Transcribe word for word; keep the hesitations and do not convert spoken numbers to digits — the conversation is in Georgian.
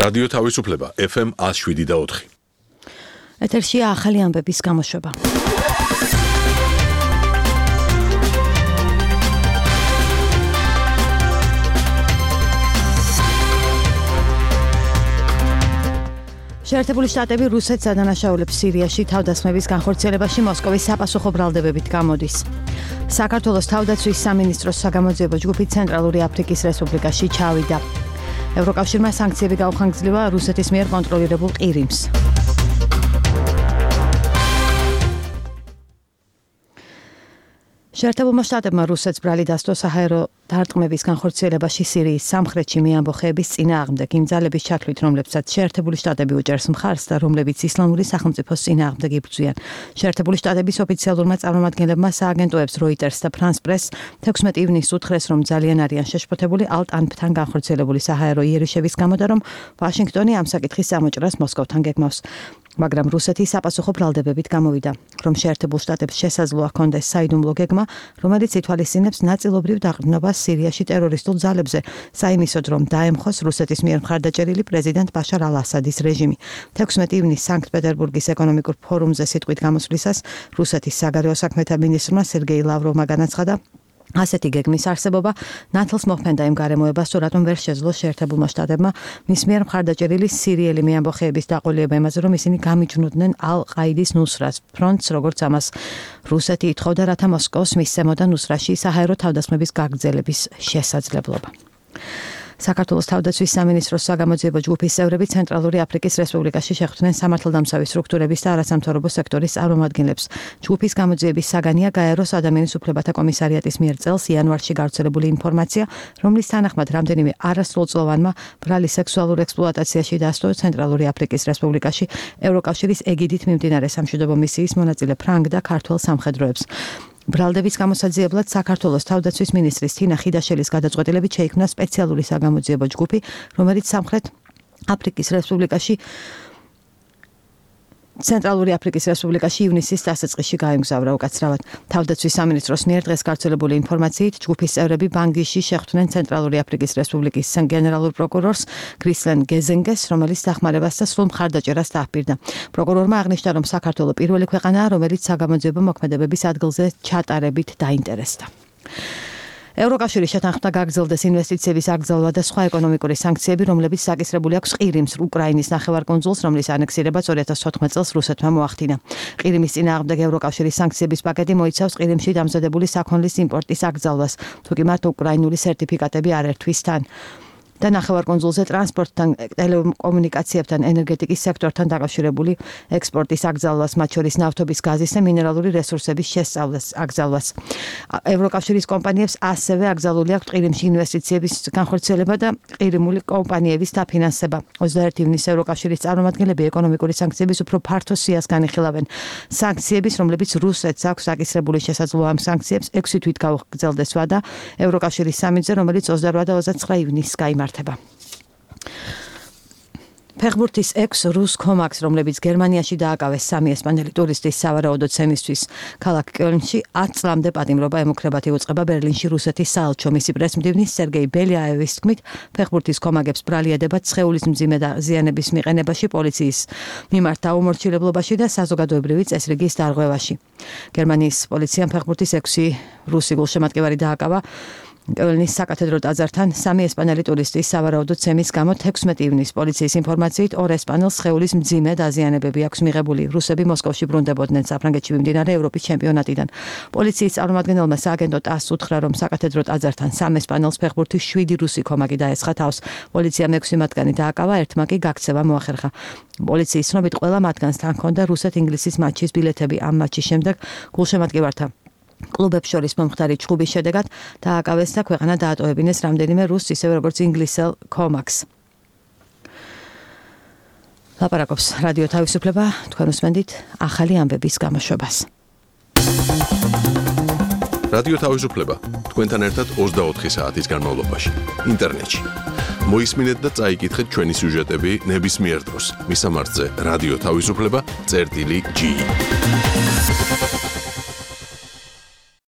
რადიო თავისუფლება ეფ ემ one oh seven და four. ეთერშია ახალი ამბების გამოშვება. შეერთებული შტატები რუსეთს ადანაშაულებს სირიაში თავდასხმების განხორციელებაში მოსკოვის საპასუხო ბრალდებებით გამოდის. საქართველოს თავდაცვის სამინისტროს საგამოძიებო ჯგუფი ცენტრალური აფრიკის რესპუბლიკაში ჩავიდა. ევროკავშირმა სანქციები გაუხანგრძლива რუსეთის მიერ კონტროლირებულ ყირიმს. შეერთებულმა შტატებმა რუსეთს ბრალი დასდო საჰაერო დარტყმების განხორციელებაში სირიის სამხრეთში მეამბოხეების წინააღმდეგ იმ ძალების ჩათვლით, რომლებსაც შეერთებული შტატები უჭერს მხარს და რომლებიც ისლამური სახელმწიფოს წინააღმდეგ იბრძვიან. შეერთებული შტატების ოფიციალურმა წარმომადგენლებმა სააგენტოებს Reuters და France Press თექვსმეტი ივნისს უთხრეს, რომ ძალიან არიან შეშფოთებული ალტ-ანფთან განხორციელებული საჰაერო იერიშების გამო და რომ ვაშინგტონი ამ საკითხის გამოჭრას მოსკოვთან გეგმავს. მაგრამ რუსეთი საპასუხო ბრალდებებით გამოვიდა, რომ შეერთებულ შტატებს შესაძლოა ჰქონდეს საიდუმლო გეგმა, რომელიც ითვალისწინებს ნაწილობრივ დაყრდნობას სირიაში ტერორისტულ ძალებზე, საიმისოდ რომ დაემხოს რუსეთის მიერ მხარდაჭერილი პრეზიდენტ ბაშარ ალ-ასადის რეჟიმი. თექვსმეტი ივნისს სანქტ-პეტერბურგის ეკონომიკურ ფორუმზე სიტყვით გამოსვლისას რუსეთის საგარეო საქმეთა მინისტრმა სერგეი ლავროვმა განაცხადა, ასეთი გეგმის არსებობა ნათელს მოჰფენდა იმ გარემოებას, თუ რატომ ვერ შეძლო შეერთებულმა შტატებმა მის მიერ მხარდაჭერილი სირიელი მეამბოხეების დაყოლება იმაზე, რომ ისინი გამიჯნუდნენ ალ-ყაიდის ნუსრას ფრონტს, როგორც ამას რუსეთი ითხოვდა, რათა მოსკოვს მისცემოდა ნუსრაში საჰაერო თავდასხმების გაგრძელების შესაძლებლობა. საქართველოს თავდაცვის სამინისტროს საგამოძიებო ჯგუფის წევრები ცენტრალური აფრიკის რესპუბლიკაში შეხვდნენ სამართალდამცავი სტრუქტურების და არასამთავრობო სექტორის წარმომადგენლებს. ჯგუფის გამოძიების საგანია გაეროს ადამიანის უფლებათა კომისარიატის მიერ წელს იანვარში გავრცელებული ინფორმაცია, რომლის თანახმად რამდენიმე არასრულწლოვანმა ბრალი სექსუალურ ექსპლუატაციაში დასდო ცენტრალური აფრიკის რესპუბლიკაში ევროკავშირის ეგიდით მიმდინარე სამშვიდობო მისიის მონაწილე ფრანგ და ქართველ სამხედროებს. ბრალდების გამოსაძიებლად საქართველოს თავდაცვის მინისტრის თინა ხიდაშელის გადაწყვეტილებით შეიქმნა სპეციალური საგამოძიებო ჯგუფი, რომელიც სამხრეთ აფრიკის რესპუბლიკაში ცენტრალური აფრიკის რესპუბლიკაში ივნისის დასაწყისში გაემგზავრა უკაცრავად. თავდაცვის სამინისტროს მიერ დღეს გავრცელებული ინფორმაციით, ჯგუფის წევრები ბანგიში შეხვდნენ ცენტრალური აფრიკის რესპუბლიკის გენერალურ პროკურორს გრისლენ გეზენგეს, რომელიც დახმარებას და სრულ მხარდაჭერას დააჰპირდა. პროკურორმა აღნიშნა, რომ საქართველო პირველი ქვეყანაა, რომელიც საგამოძიებო მოქმედებების ადგილზე ჩატარებით დაინტერესდა. ევროკავშირი შეთანხმდა გაგრძელდეს ინვესტიციების აკრძალვა და სხვა ეკონომიკური სანქციები, რომლებიც საკისრებული აქვს ყირიმს, უკრაინის ნახევარკუნძულს, რომლის ანექსირებაც ორი ათას ოთხმეტ წელს რუსეთმა მოახდინა. ყირიმის წინააღმდეგ ევროკავშირის სანქციების პაკეტი მოიცავს ყირიმში დამზადებული საქონლის იმპორტის აკრძალვას, თუკი მათ უკრაინული სერტიფიკატები არ ერთვის თან. და ნახევარკუნძულზე ტრანსპორტთან, ტელეკომუნიკაციებთან, ენერგეტიკის სექტორთან დაკავშირებული ექსპორტის აკრძალვას, მათ შორის ნავთობის, გაზის და მინერალური რესურსების შესწავლას, აკრძალვას. ევროკავშირის კომპანიებს ასევე აკრძალული აქვს ყირიმში ინვესტიციების განხორციელება და ყირიმული კომპანიების დაფინანსება. ოცდაერთი ივნისს ევროკავშირის წარმომადგენლები ეკონომიკური სანქციების უფრო ფართო სიას განიხილავენ. სანქციების, რომლებიც რუსეთს აქვს აკისრებული შესაძლოა ამ სანქციებს ექვსი თვით გაუგრძელდეს ვადა ევროკავშირის სამიტზე, რომელიც ოცდაოთხ და ოცდაცხრა ივნისს გაიმართა. ფეხბურთის ექვს რუს კომაკს, რომლებიც გერმანიაში დააკავეს სამი ესპანელი ტურისტის სავარაუდო ცემისთვის ქალაქ კელნში ათ წლამდე პატიმრობა ემუქრებათ იუწყება ბერლინში რუსეთის საელჩო. მისი პრესმდივნის სერგეი ბელიაევის თქმით, ფეხბურთის კომაგებს ბრალი ედებათ სხეულის მძიმე ზიანების მიყენებაში, პოლიციის მიმართ დაუმორჩილებლობაში და საზოგადოებრივი წესრიგის დარღვევაში. გერმანიის პოლიციამ ფეხბურთის ექვსი რუსი გულშემატკივარი დააკავა კელნის საკათედრო ტაძართან სამი ესპანელი ტურისტის სავარაუდო ცემის გამო. თექვსმეტი ივნისს პოლიციის ინფორმაციით ორ ესპანელს სხეულის მძიმე დაზიანებები აქვს მიღებული. რუსები მოსკოვში ბრუნდებოდნენ საფრანგეთში მიმდინარე ევროპის ჩემპიონატიდან. პოლიციის წარმომადგენელმა სააგენტო ტასს უთხრა, რომ საკათედრო ტაძართან სამ ესპანელს ფეხბურთის შვიდი რუსი კომაკი დაესხა თავს. პოლიციამ ექვსი მათგანი დააკავა, ერთმა კი გაქცევა მოახერხა. პოლიციის ცნობით ყველა მათგანს თან ჰქონდა რუსეთ-ინგლისის მატჩის ბილეთები. ამ მატჩის შემდეგ გულშემატკივართა კლუბებს შორის მომხდარი ჩხუბის შედეგად დააკავეს და ქვეყანა დაატოვებინეს რამდენიმე რუსს, ისევე როგორც ინგლისელ კომაკს. ლაპარაკობს რადიო თავისუფლება, თქვენ უსმენთ ახალი ამბების გამოშვებას. რადიო თავისუფლება თქვენთან ერთად ოცდაოთხი საათის განმავლობაში ინტერნეტში. მოისმინეთ და წაიკითხეთ ჩვენი სიუჟეტები ნებისმიერ დროს. მისამართზე რადიო თავისუფლება წერტილი ჯი.